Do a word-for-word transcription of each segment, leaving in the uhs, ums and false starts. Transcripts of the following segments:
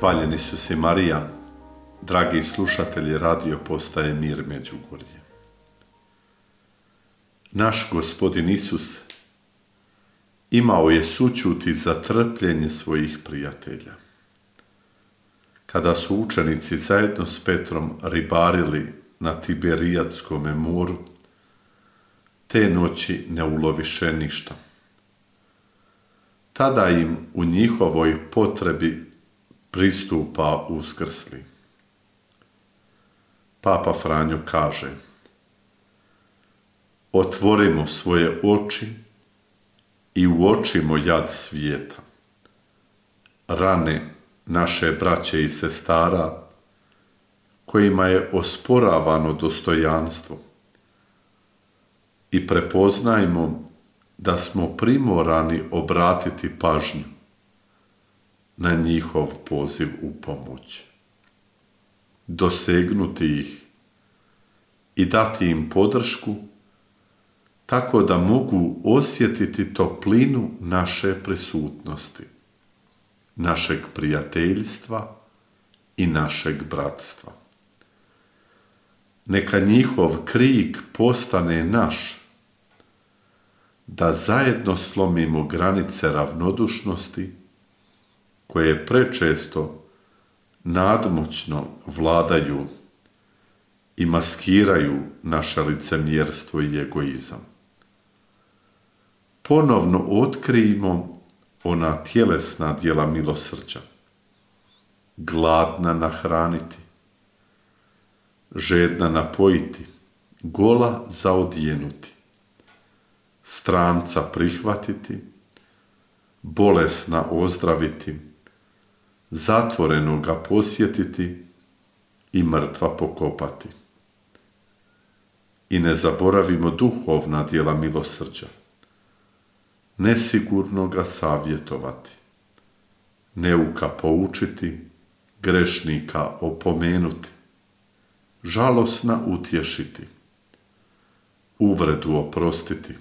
Hvaljen Isuse Marija, dragi slušatelji radio postaje Mir Međugorje. Naš Gospodin Isus imao je sućuti za trpljenje svojih prijatelja. Kada su učenici zajedno s Petrom ribarili na Tiberijadskom moru, te noći ne uloviše ništa. Tada im u njihovoj potrebi pristupa uskrsli. Papa Franjo kaže: otvorimo svoje oči i uočimo jad svijeta, rane naše braće i sestara kojima je osporavano dostojanstvo, i prepoznajmo da smo primorani obratiti pažnju na njihov poziv u pomoć, dosegnuti ih i dati im podršku tako da mogu osjetiti toplinu naše prisutnosti, našeg prijateljstva i našeg bratstva. Neka njihov krik postane naš, da zajedno slomimo granice ravnodušnosti koje prečesto nadmoćno vladaju i maskiraju naše licemjerstvo i egoizam. Ponovno otkrijmo ona tjelesna djela milosrđa: gladna nahraniti, žedna napojiti, gola zaodjenuti, stranca prihvatiti, bolesna ozdraviti, zatvorenoga posjetiti i mrtva pokopati. I ne zaboravimo duhovna djela milosrđa: nesigurno ga savjetovati, neuka poučiti, grešnika opomenuti, žalosna utješiti, uvredu oprostiti,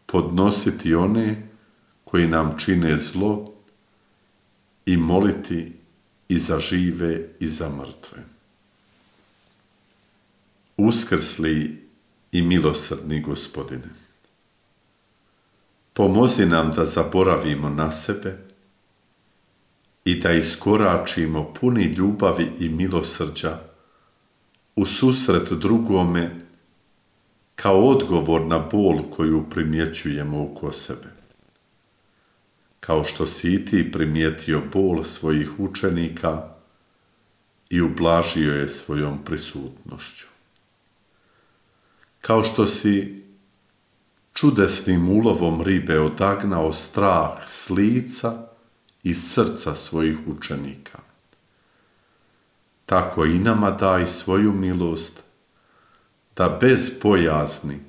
podnositi one koji nam čine zlo i moliti i za žive i za mrtve. Uskrsli i milosrdni Gospodine, pomozi nam da zaboravimo na sebe i da iskoračimo puni ljubavi i milosrđa u susret drugome kao odgovor na bol koju primjećujemo oko sebe. Kao što si i ti primijetio bol svojih učenika i ublažio je svojom prisutnošću. Kao što si čudesnim ulovom ribe odagnao strah s lica i srca svojih učenika, tako i nama daj svoju milost da bez bojazni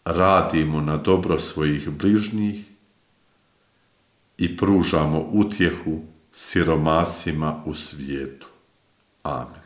radimo na dobro svojih bližnjih i pružamo utjehu siromasima u svijetu. Amen.